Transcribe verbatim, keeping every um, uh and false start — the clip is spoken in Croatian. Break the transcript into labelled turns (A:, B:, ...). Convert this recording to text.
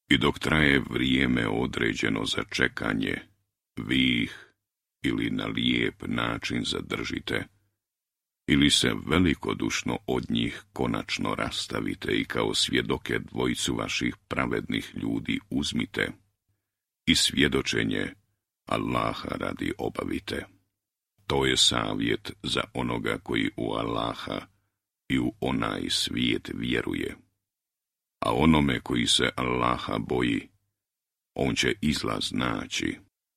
A: I dok traje vrijeme određeno za čekanje, vi ih ili na lijep način zadržite, ili se velikodušno od njih konačno rastavite i kao svjedoke dvojicu vaših pravednih ljudi uzmite i svjedočenje Allaha radi obavite. To je savjet za onoga koji u Allaha i u onaj svijet vjeruje. A onome koji se Allaha boji, on će izlaz naći.